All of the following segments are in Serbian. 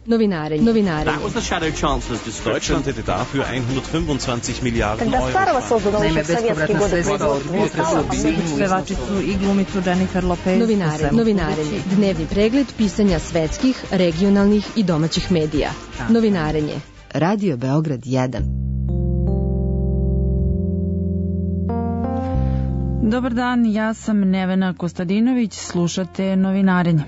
Novinarenje. That was the Shadow Chancellor's discussion. Deutschland hätte dafür 125 Milliarden Когда старого создано еще в советские годы Pevačicu i glumicu Jennifer Lopez. Novinarenje. Dnevni pregled pisanja svetskih, regionalnih i domaćih medija. Novinarenje. Radio Beograd 1. Dobar dan, ja sam Nevena Kostadinović, slušate Novinarenje.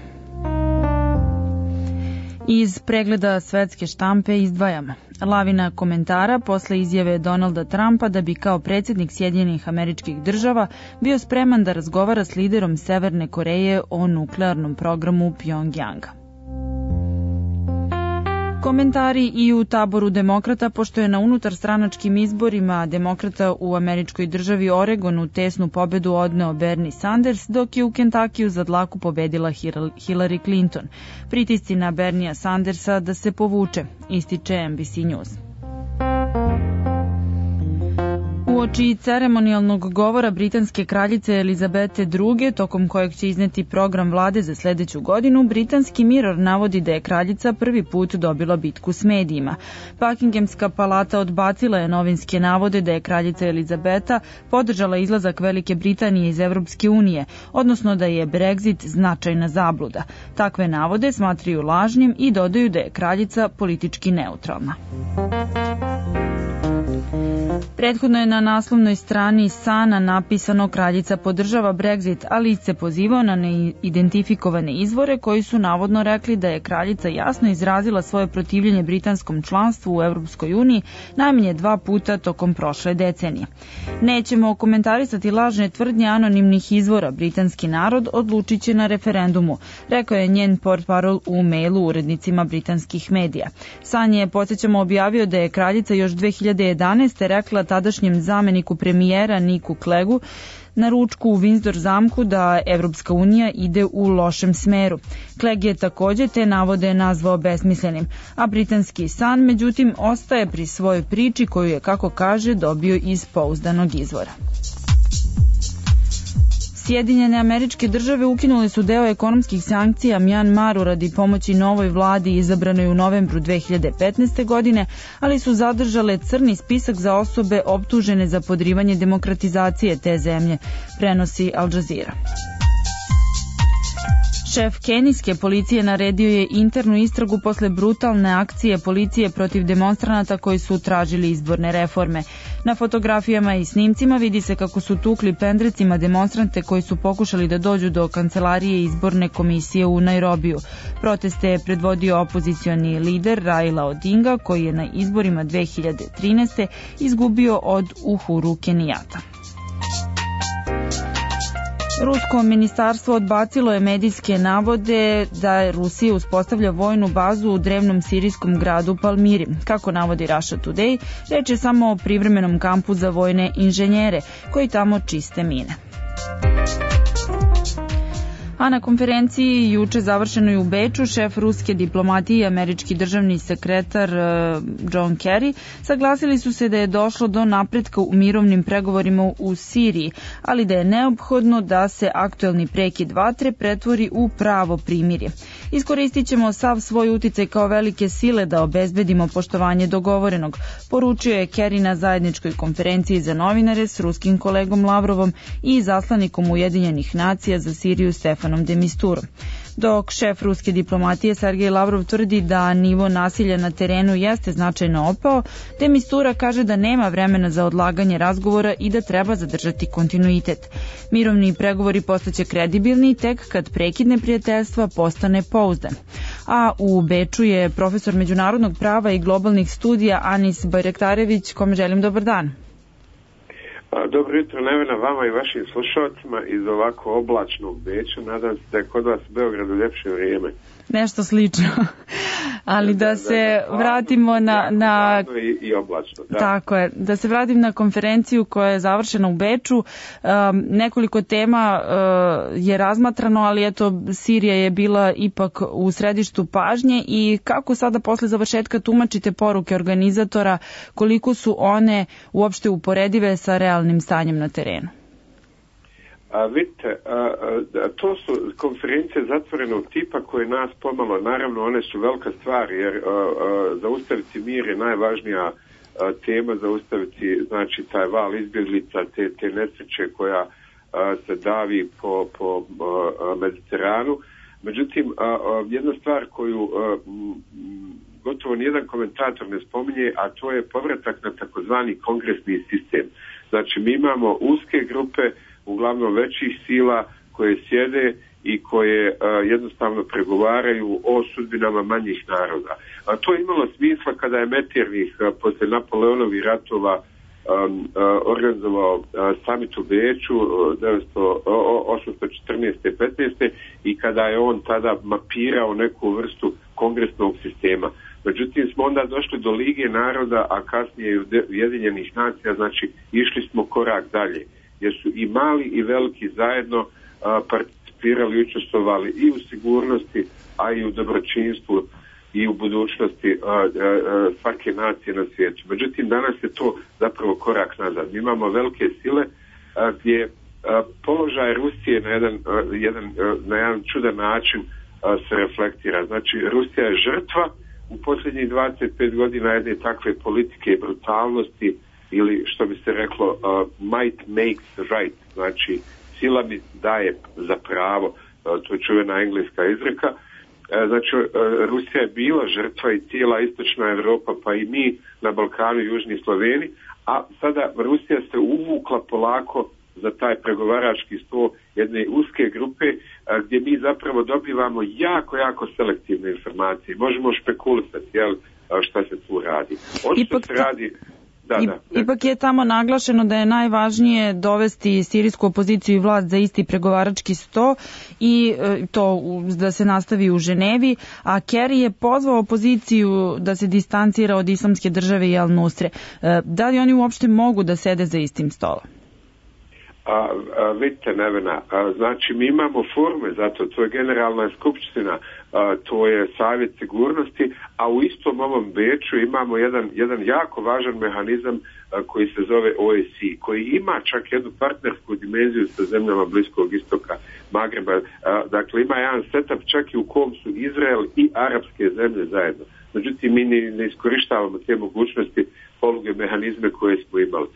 Iz pregleda svetske štampe izdvajamo lavina komentara posle izjave Donalda Trumpa da bi kao predsjednik Sjedinjenih Američkih Država bio spreman da razgovara s liderom Severne Koreje o nuklearnom programu Pjongjanga. Komentari i u taboru demokrata, pošto je na unutarstranačkim izborima demokrata u američkoj državi Oregonu tesnu pobedu odneo Bernie Sanders, dok je u Kentakiju za dlaku pobedila Hillary Clinton. Pritisci na Berniea Sandersa da se povuče, ističe NBC News. Uoči ceremonijalnog govora britanske kraljice Elizabete II, tokom kojeg će izneti program vlade za sledeću godinu, britanski Mirror navodi da je kraljica prvi put dobila bitku s medijima. Buckinghamska palata odbacila je novinske navode da je kraljica Elizabeta podržala izlazak Velike Britanije iz Evropske unije, odnosno da je Brexit značajna zabluda. Takve navode smatraju lažnim i dodaju da je kraljica politički neutralna. Prethodno je na naslovnoj strani Sana napisano kraljica podržava Brexit, ali se pozivao na neidentifikovane izvore koji su navodno rekli da je kraljica jasno izrazila svoje protivljenje britanskom članstvu u Evropskoj uniji najmanje 2 puta tokom prošle decenije. Nećemo komentarisati lažne tvrdnje anonimnih izvora, britanski narod odlučit će na referendumu, rekao je njen portparol u mailu urednicima britanskih medija. San je, podsjećamo, objavio da je kraljica još 2011. rekla tadašnjem zameniku premijera Niku Cleggu na ručku u Windsor zamku da Evropska unija ide u lošem smeru. Clegg je takođe te navode nazvao besmislenim, a britanski Sun međutim ostaje pri svojoj priči koju je, kako kaže, dobio iz pouzdanog izvora. Sjedinjene Američke Države ukinule su deo ekonomskih sankcija Mjanmaru radi pomoći novoj vladi izabranoj u novembru 2015. godine, ali su zadržale crni spisak za osobe optužene za podrivanje demokratizacije te zemlje, prenosi Al Jazeera. Šef kenijske policije naredio je internu istragu posle brutalne akcije policije protiv demonstranata koji su tražili izborne reforme. Na fotografijama i snimcima vidi se kako su tukli pendrecima demonstrante koji su pokušali da dođu do kancelarije izborne komisije u Nairobiju. Proteste je predvodio opozicioni lider Raila Odinga, koji je na izborima 2013. izgubio od Uhuru Kenijata. Rusko ministarstvo odbacilo je medijske navode da Rusija uspostavlja vojnu bazu u drevnom sirijskom gradu Palmiri. Kako navodi Russia Today, reč je samo o privremenom kampu za vojne inženjere koji tamo čiste mine. A na konferenciji juče završenoj u Beču, šef ruske diplomatije i američki državni sekretar John Kerry saglasili su se da je došlo do napretka u mirovnim pregovorima u Siriji, ali da je neophodno da se aktuelni prekid vatre pretvori u pravo primirje. Iskoristit ćemo sav svoj uticaj kao velike sile da obezbedimo poštovanje dogovorenog, poručio je Kerry na zajedničkoj konferenciji za novinare s ruskim kolegom Lavrovom i zaslanikom Ujedinjenih nacija za Siriju Stefanom de Misturom. Dok šef ruske diplomatije Sergej Lavrov tvrdi da nivo nasilja na terenu jeste značajno opao, de Mistura kaže da nema vremena za odlaganje razgovora i da treba zadržati kontinuitet. Mirovni pregovori postaće kredibilni tek kad prekid neprijateljstva postane pouzdan. A u Beču je profesor međunarodnog prava i globalnih studija Anis Bajraktarević, kome želim dobar dan. Dobro jutro, Nevena, vama i vašim slušalcima iz ovako oblačnog Beča. Nadam se da je kod vas u Beogradu ljepše vrijeme. Nešto slično. Ali da se vratimo na i oblačno. Da. Tako je. Da se vratim na konferenciju koja je završena u Beču. Nekoliko tema je razmatrano, ali eto, Sirija je bila ipak u središtu pažnje i kako sada posle završetka tumačite poruke organizatora, koliko su one uopšte uporedive sa realnim stanjem na terenu? Vidite, to su konferencije zatvorenog tipa koje nas pomalo, naravno one su velika stvar, jer zaustaviti mir je najvažnija tema, zaustaviti znači taj val izbjeglica, te nesreće koja se davi po Mediteranu. Međutim, jedna stvar koju gotovo nijedan komentator ne spominje, a to je povratak na takozvani kongresni sistem. Znači, mi imamo uske grupe, uglavnom većih sila, koje sjede i koje jednostavno pregovaraju o sudbinama manjih naroda. A to je imalo smisla kada je Metternich posle Napoleonovih ratova organizovao summit u Beču 1814-15 i kada je on tada mapirao neku vrstu kongresnog sistema. Međutim, smo onda došli do Lige naroda, a kasnije i Ujedinjenih nacija, znači išli smo korak dalje, jer su i mali i veliki zajedno participirali i učestvovali i u sigurnosti, a i u dobročinstvu i u budućnosti svake nacije na svijetu. Međutim, danas je to zapravo korak nazad. Mi imamo velike sile gdje položaj Rusije na jedan čudan način se reflektira. Znači, Rusija je žrtva u posljednjih 25 godina jedne takve politike brutalnosti, ili što bi se reklo might makes right, znači sila mi daje za pravo, to je čuvena engleska izreka. Znači, Rusija je bila žrtva i cijela istočna Europa, pa i mi na Balkanu, južni Sloveni, a sada Rusija se uvukla polako za taj pregovarački stol jedne uske grupe gdje mi zapravo dobivamo jako selektivne informacije. Možemo špekulisati, jel, šta se tu radi. Očito se radi... Ipak je tamo naglašeno da je najvažnije dovesti sirijsku opoziciju i vlast za isti pregovarački sto i to da se nastavi u Ženevi, a Kerry je pozvao opoziciju da se distancira od Islamske države i Al-Nusre. Da li oni uopšte mogu da sede za istim stolom? Vidite, Nevena, znači mi imamo forme za to je generalna skupština, to je savjet sigurnosti, a u istom ovom Beču imamo jedan jako važan mehanizam koji se zove OSCE, koji ima čak jednu partnersku dimenziju sa zemljama Bliskog istoka, Magreba, dakle ima jedan setup čak i u kom su Izrael i arapske zemlje zajedno. Međutim, mi ne iskorištavamo te mogućnosti, poluge, mehanizme koje smo imali.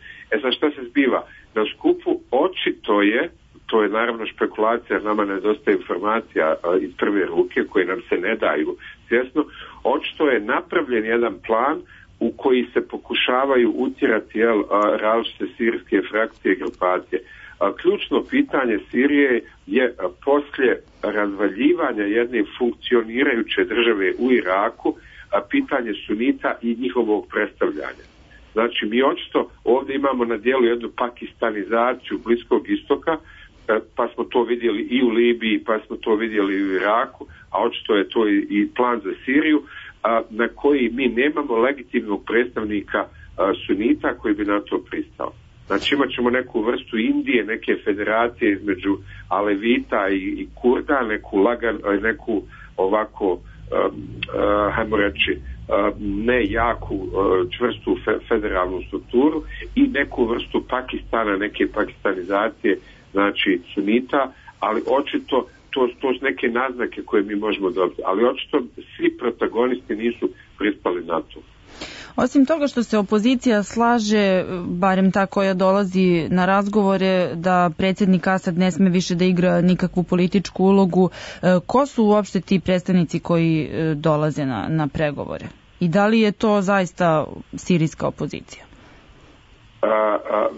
Sad šta se zbiva? Na skupu očito je, to je naravno špekulacija, nama nedostaje informacija iz prve ruke koje nam se ne daju svjesno, očito je napravljen jedan plan u koji se pokušavaju utjerati različite sirijske frakcije i grupacije. Ključno pitanje Sirije je poslije razvaljivanja jedne funkcionirajuće države u Iraku, pitanje sunita i njihovog predstavljanja. Znači, mi očito ovdje imamo na dijelu jednu pakistanizaciju Bliskog istoka, pa smo to vidjeli i u Libiji, pa smo to vidjeli i u Iraku, a očito je to i plan za Siriju, na koji mi nemamo legitimnog predstavnika sunita koji bi na to pristao. Znači, imat ćemo neku vrstu Indije, neke federacije između Alevita i Kurda, neku ovako, hajmo reći, ne jaku, čvrstu federalnu strukturu i neku vrstu Pakistana, neke pakistanizacije, znači sunita, ali očito to su neke naznake koje mi možemo dobiti, ali očito svi protagonisti nisu pristali na to. Osim toga što se opozicija slaže, barem ta koja dolazi na razgovore, da predsjednik Asad ne sme više da igra nikakvu političku ulogu, ko su uopšte ti predstavnici koji dolaze na pregovore? I da li je to zaista sirijska opozicija?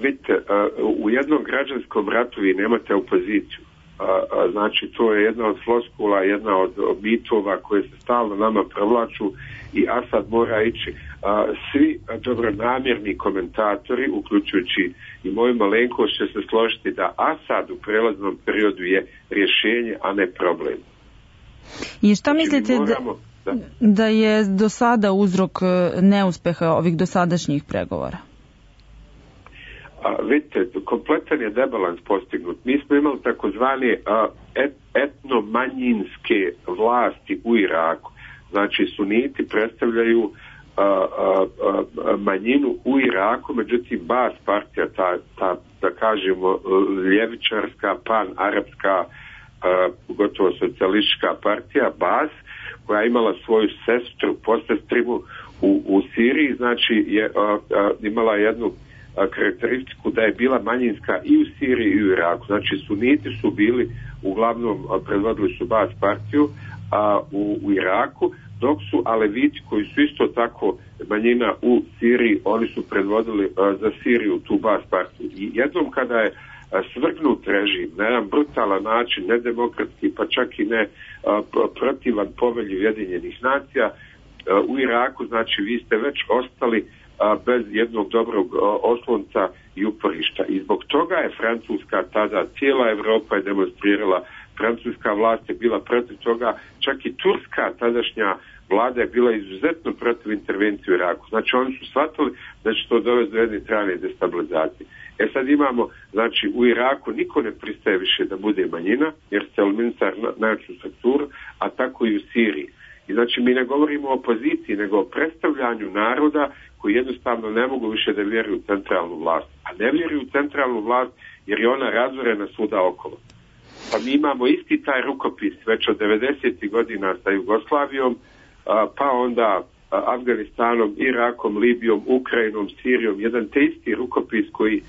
Vidite, u jednom građanskom ratu vi nemate opoziciju. Znači, to je jedna od floskula, jedna od mitova koje se stalno nama provlaču i Asad mora ići. Svi dobronamjerni komentatori, uključujući i moju malenkost, će se složiti da Asad u prelaznom periodu je rješenje, a ne problem. I šta mislite da je do sada uzrok neuspeha ovih dosadašnjih pregovora? Vidite, kompletan je debalans postignut. Mi smo imali takozvane etnomanjinske vlasti u Iraku. Znači, suniti predstavljaju manjinu u Iraku, međutim Baas partija, ta da kažemo ljevičarska, pan-arapska, gotovo socijalistička partija, Baas, koja je imala svoju sestru, posestrivu u Siriji, znači je imala jednu karakteristiku da je bila manjinska i u Siriji i u Iraku. Znači suniti su bili, uglavnom predvodili su Baas partiju u Iraku, dok su aleviti koji su isto tako manjina u Siriji, oni su predvodili za Siriju tu Baas partiju. I jednom kada je svrgnut režim na jedan brutalan način, nedemokratski, pa čak i ne protivan povelji Ujedinjenih nacija, u Iraku, znači vi ste već ostali bez jednog dobrog oslonca i uporišta. I zbog toga je Francuska tada, cijela Evropa je demonstrirala, francuska vlast je bila protiv toga, čak i turska tadašnja vlada je bila izuzetno protiv intervencije u Iraku. Znači oni su shvatili da će to dovesti do jedne trajne destabilizacije. Sad imamo, znači u Iraku niko ne pristaje više da bude manjina, jer se eliminisar najjaču strukturu, a tako i u Siriji. I znači mi ne govorimo o opoziciji, nego o predstavljanju naroda koji jednostavno ne mogu više da vjeruju u centralnu vlast. A ne vjeruju u centralnu vlast jer je ona razorena svuda okolo. Pa mi imamo isti taj rukopis već od 90. godina sa Jugoslavijom, pa onda Afganistanom, Irakom, Libijom, Ukrajinom, Sirijom, jedan te isti rukopis koji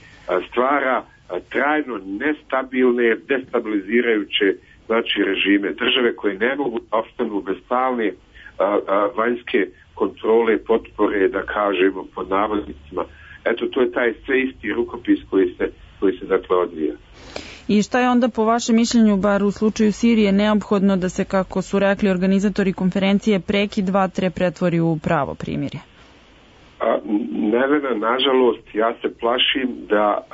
stvara trajno nestabilne, destabilizirajuće znači režime, države koje ne mogu opstanu bez stalne vanjske kontrole, potpore, da kažemo pod navodnicima. Eto, to je taj sve isti rukopis koji se dakle odvija. I šta je onda po vašem mišljenju, bar u slučaju Sirije, neophodno da se, kako su rekli organizatori konferencije, prekid vatre pretvori u pravo primirje? Nevena, nažalost, ja se plašim da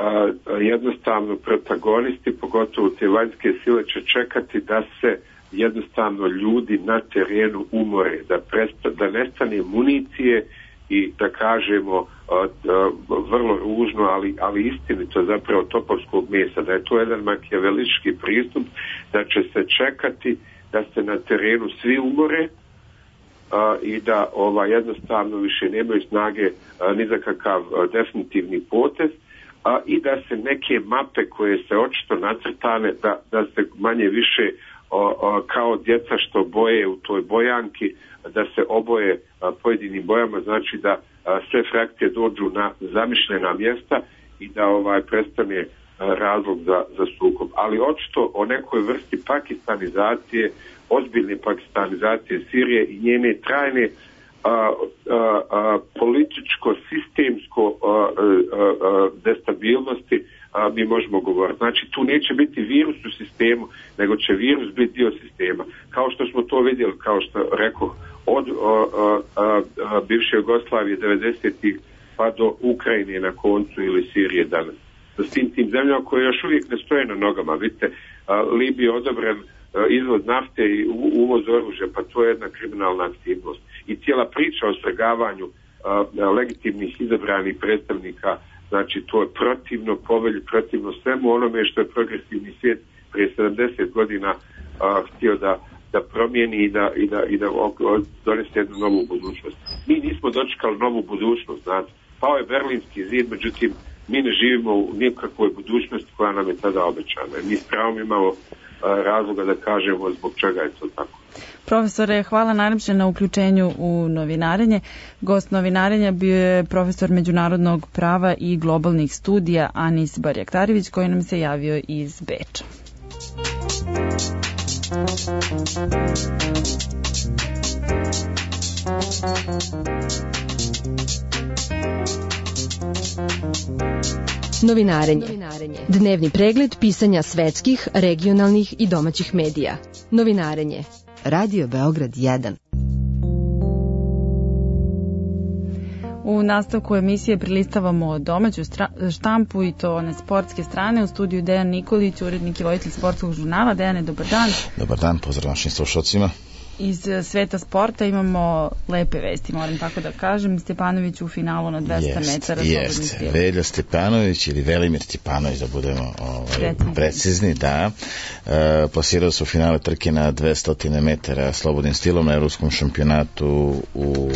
jednostavno protagonisti, pogotovo te vanjske sile, će čekati da se jednostavno ljudi na terenu umore, da nestane municije i da kažemo vrlo ružno, ali istinito zapravo topovskog mesa, da je to jedan makijavelički pristup, da će se čekati da se na terenu svi umore i da jednostavno više nemaju snage ni za kakav definitivni potez i da se neke mape koje se očito nacrtane da se manje više kao djeca što boje u toj bojanki, da se oboje pojedinim bojama, znači da sve frakcije dođu na zamišljena mjesta i da prestane razlog za sukob. Ali očito o nekoj vrsti pakistanizacije, ozbiljne pakistanizacije Sirije i njene trajne političko-sistemsko destabilnosti mi možemo govoriti. Znači tu neće biti virus u sistemu, nego će virus biti dio sistema. Kao što smo to vidjeli, kao što rekao, od bivše Jugoslavije 90-ih pa do Ukrajine na koncu ili Sirije danas. S tim zemljama koje još uvijek ne stoje na nogama. Vidite, Libiji je odobren izvoz nafte i uvoz oružja, pa to je jedna kriminalna aktivnost. I cijela priča o svrgavanju legitimnih izabranih predstavnika, znači to je protivno povelji, protivno svemu onome što je progresivni svijet prije 70 godina htio da promijeni i da donese jednu novu budućnost. Mi nismo dočekali novu budućnost, znate. Pao je Berlinski zid, međutim mi ne živimo u nikakvoj budućnosti koja nam je tada obećana. Mi s pravom imamo razloga da kažemo zbog čega je to tako. Profesore, hvala najljepše na uključenju u novinarenje. Gost novinarenja bio je profesor međunarodnog prava i globalnih studija Anis Barjaktarević, koji nam se javio iz Beča. Novinarenje. Dnevni pregled pisanja svetskih, regionalnih i domaćih medija. Novinarenje. Radio Beograd 1. U nastavku emisije prilistavamo domaću štampu i to one sportske strane. U studiju Dejan Nikolić, urednik i voditelj sportskog žurnala. Dejane, dobar dan. Dobar dan, pozdrav našim slušalcima. Iz sveta sporta imamo lepe vesti, moram tako da kažem. Stjepanović u finalu na 200 metara. Jeste, Velja Stjepanović ili Velimir Stjepanović, da budemo precizni, da. Plasirao se u finale trke na 200 metara slobodnim stilom na evropskom šampionatu u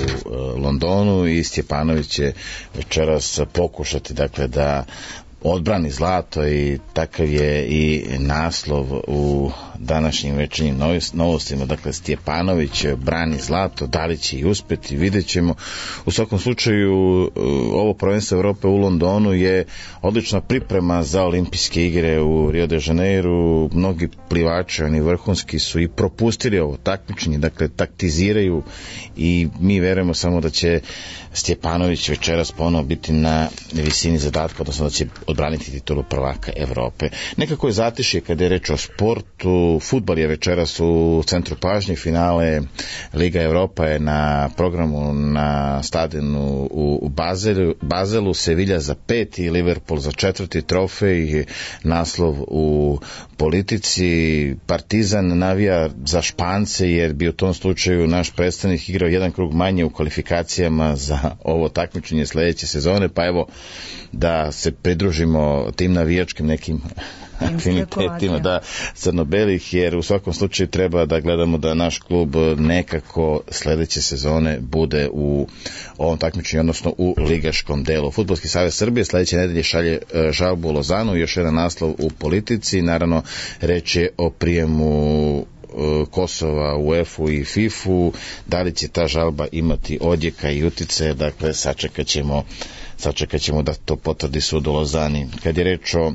Londonu i Stjepanović će večeras pokušati, dakle, da odbrani zlato i takav je i naslov u današnjim večernjim novostima. Dakle, Stjepanović brani zlato, da li će i uspeti, vidjet ćemo. U svakom slučaju, ovo prvenstvo Evrope u Londonu je odlična priprema za olimpijske igre u Rio de Janeiru. Mnogi plivači, oni vrhunski, su i propustili ovo takmičenje, dakle, taktiziraju i mi verujemo samo da će Stjepanović večeras ponovo biti na visini zadatka, odnosno da će odbraniti titulu prvaka Evrope. Nekako je zatišje kada je reč o sportu. Fudbal je večeras u centru pažnje, finale Liga Evropa je na programu na stadionu u Bazelu, Sevilla za 5 i Liverpool za 4. trofej, naslov u Politici. Partizan navija za Špance jer bi u tom slučaju naš predstavnik igrao jedan krug manje u kvalifikacijama za ovo takmičenje sledeće sezone, pa evo da se pridružimo tim navijačkim nekim afinitetima, da, crno-belih, jer u svakom slučaju treba da gledamo da naš klub nekako sledeće sezone bude u ovom takmičenju, odnosno u ligaškom delu. Fudbalski savez Srbije sledeće nedelje šalje žalbu u Lozanu, još jedan naslov u Politici, naravno reč je o prijemu Kosova u UEFA i FIFA-u, da li će ta žalba imati odjeka i utice, dakle sačekat ćemo da to potvrdi sud u Lozani. Kad je reč o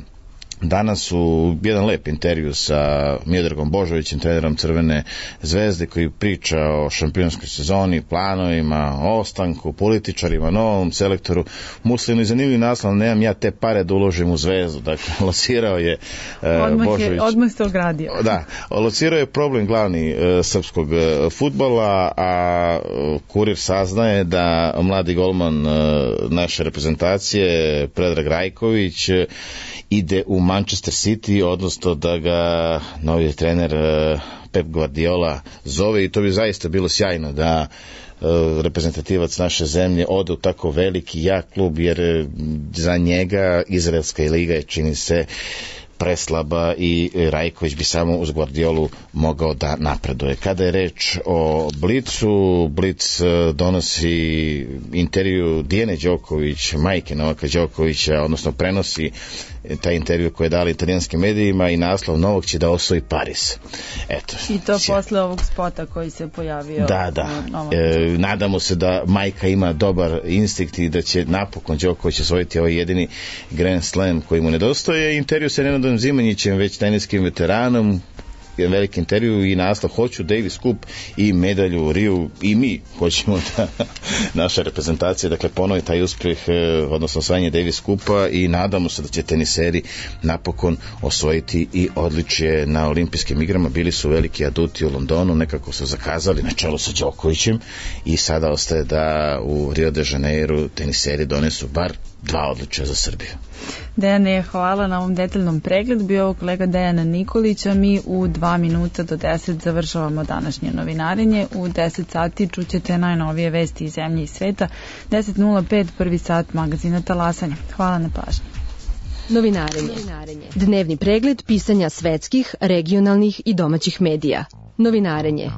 danas u jedan lep intervju sa Miodragom Božovićem, trenerom Crvene zvezde, koji priča o šampionskoj sezoni, planovima, ostanku, političarima, novom selektoru. Muslinu i zanimljiv naslov, nemam ja te pare da uložim u Zvezdu. Dakle, locirao je Božović. Odmah se ogradio. Da, locirao je problem glavni srpskog fudbala, a Kurir saznaje da mladi golman naše reprezentacije, Predrag Rajković, ide u Manchester City, odnosno da ga novi trener Pep Guardiola zove, i to bi zaista bilo sjajno da reprezentativac naše zemlje ode u tako veliki, jak klub, jer za njega izraelska liga je, čini se, preslaba i Rajković bi samo uz Guardiolu mogao da napreduje. Kada je reč o Blicu, Blic donosi intervju Dijane Đoković, majke Novaka Đokovića, odnosno prenosi taj intervju koji je dali italijanskim medijima i naslov novog će da osvoji Paris. Eto. I to posle ovog spota koji se pojavio. Da. Nadamo se da majka ima dobar instinkt i da će napokon Đoković osvojiti ovaj jedini Grand Slam koji mu nedostaje. Intervju sa Nenadom Zimanjićem, već teniskim veteranom, jedan veliki intervju i naslov hoću Davis Cup i medalju u Riju, i mi hoćemo da naša reprezentacija, dakle, ponovi taj uspjeh, odnosno osvajanje Davis Cupa, i nadamo se da će teniseri napokon osvojiti i odličje na olimpijskim igrama. Bili su veliki aduti u Londonu, nekako su zakazali na čelu sa Đokovićem i sada ostaje da u Rio de Janeiru teniseri donesu bar 2 odličja za Srbiju. Dejane, hvala na ovom detaljnom pregledu. Bio ovo kolega Dejana Nikolića. Mi u 2 minuta do 10 završavamo današnje novinarenje. U 10 sati čućete najnovije vesti iz zemlje i sveta. 10:05, prvi sat magazina Talasanja. Hvala na pažnji. Novinarenje. Dnevni pregled pisanja svetskih, regionalnih i domaćih medija. Novinarenje.